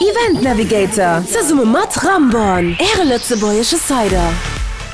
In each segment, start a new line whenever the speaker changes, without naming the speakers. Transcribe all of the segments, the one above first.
Event Navigator zesumme mat Ramborn, Äre lëtzebuergesche Cider.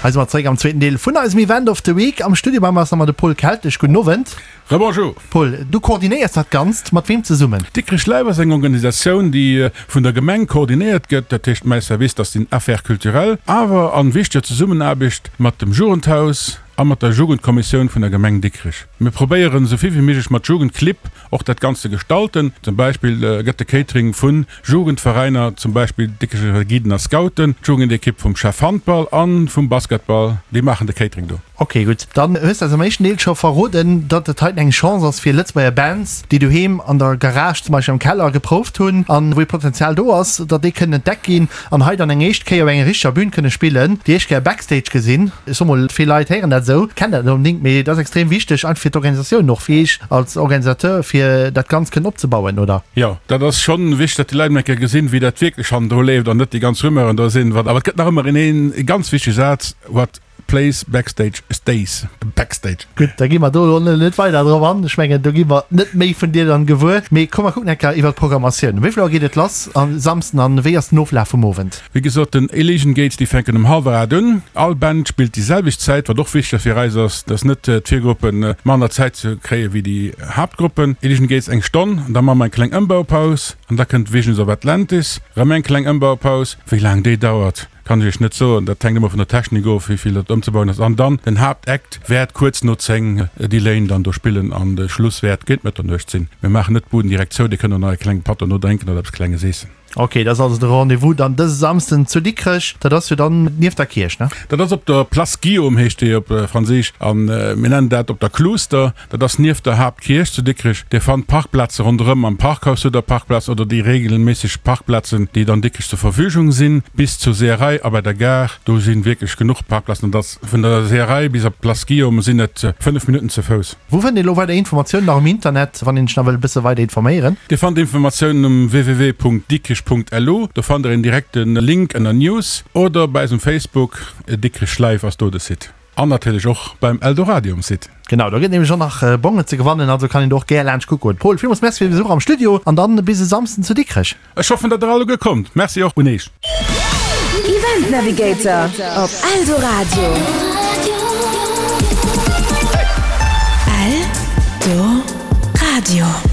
Hei si mer zeréck am zweeten Deel vun eisem Event of the Week. Am Studio bei mer ass nach emmer de Paul Keltesch. Gudden Owend.
Rebonjour.
Paul, du koordinéiers dat Ganzt. Mat weem zesummen?
Dikrech Live ass eng Organisatioun, déi vun der Gemeng koordinéiert gëtt. Dat heescht, mäi Service, dat ass den Affaires culturelles, awer an wichteger Zesummenaarbecht mat dem Jugendhaus a mat der Jugendkommissioun vun der Gemeng Dikrech. Mir probéieren, esou vill wéi méiglech mat Jugendclibb och dat Ganzt ze gestalten. Zum Beispill gëtt de Catering vu Jugendveräiner, zum Beispill Dikrecher Guiden a Scouten, d'Jugendekipp vum Chef Handball a vum Basketball, déi maachen de Catering do.
Ok gutt, dann hues de eis am éischten Deel scho verroden, datt et heiten eng Chance ass fir Lëtzebuerger Bands, déi doheem an der Garage, zum Beispill am Keller, geprouft hunn an wou ee Potenzial do ass, datt déi kënnen entdeckt ginn an hei dann eng éischt Kéier op enger richteger Bühn kënne spillen, déi éischt Kéier Backstage gesinn. Ech soe mol, vill Leit héieren dat esou, kennen dat net onbedéngt, mee et ass extrem wichteg einfach fir d'Organisatioun och, fir iech als Organisateur, fir dat Ganzt kënnen opzebauen, oder?
Jo, dat ass schonn wichteg, datt déi Leit emol eng Kéier gesinn, wéi dat wierklech hannendru leeft an net déi ganz Rumeuren do sinn. Awer et gëtt nach ëmmer een ee ganz wichtege Saz, What Plays backstage stays backstage.
Gutt, da gi mer do elo net weider drop an. Ech mengen, do gi mer net méi vun dir dann gewuer. Mee komm, mer kucken eng Kéier iwwer d'Programmatioun. Um wéi vill Auer geet et lass a Samsden an wéi ass den Oflaf vum Owend?
Wéi gesot, den Elysian Gates, déi fänken um hallwer 8 un. All Band spillt déi selwecht Zäit, wat och wichteg ass fir eis ass, dass net d'Virgruppen manner Zäit ze kréie wéi déi Haaptgruppen. Elysian Gates eng Stonn, an da maache mer eng kleng Ëmbaupaus an da kënnt Visions of Atlantis, erëm eng kleng Ëmbaupaus. Wéi laang déi dauert, Kann ech iech net soen, dat hänkt ëmmer vun der Technik of, wéi vill dat ëmzebauen ass. An dann den Haaptact wäert kuerz no 10 Delaine dann do spillen an de Schluss wäert géint Mëtternuecht sinn. Mir maachen net d'Buden direkt zou, dir kënnt och nach e klenge Patt dono drénken oder eppes Klenges eessen.
Ok, dat ass also de Rendez-vous dann dëse Samsden zu Dikrech. Dat ass jo dann nieft der Kierch, ne?
Dat ass op der Place Guillaume heescht déi op Franséisch an mir nennen dat op der Kluuster. Dat ass nieft der Haaptkierch zu Dikrech. Dir fannt Parkplaze ronderëm am Parkhaus hutt der Parkplaz oder déi regelméisseg Parkplazen, déi dann Dikrech zur Verfügung sinn, bis zur Seeërei a bei der Gare. Do si wierklech genuch Parkplazen an dass vun der Seeërei bis op d'Place Guillaume sinn et 5 Minutten ze Fouss.
Wou fënnt een elo weider Informatiounen nach um Internet, wann een sech nach wëll e bësse weider informéieren?
Dir fannt Informatiounen um www.dikrech.lu. Do fannt der een direkte Link ënner News oder bei eis um Facebook, Dikrech Live ass do de Site. An natierlech och beim Eldoradio um Site.
Genau, do gëtt nämlech och nach Bongen ze gewannen, also kann een do och gär laanscht kucke goen. Paul, villmools Merci fir de Besuch am Studio an dann bis e Samsden zu Dikrech.
Ech hoffen, datt der alleguer kommt. Merci och un Eech.
Event Navigator op Eldoradio. Eldoradio.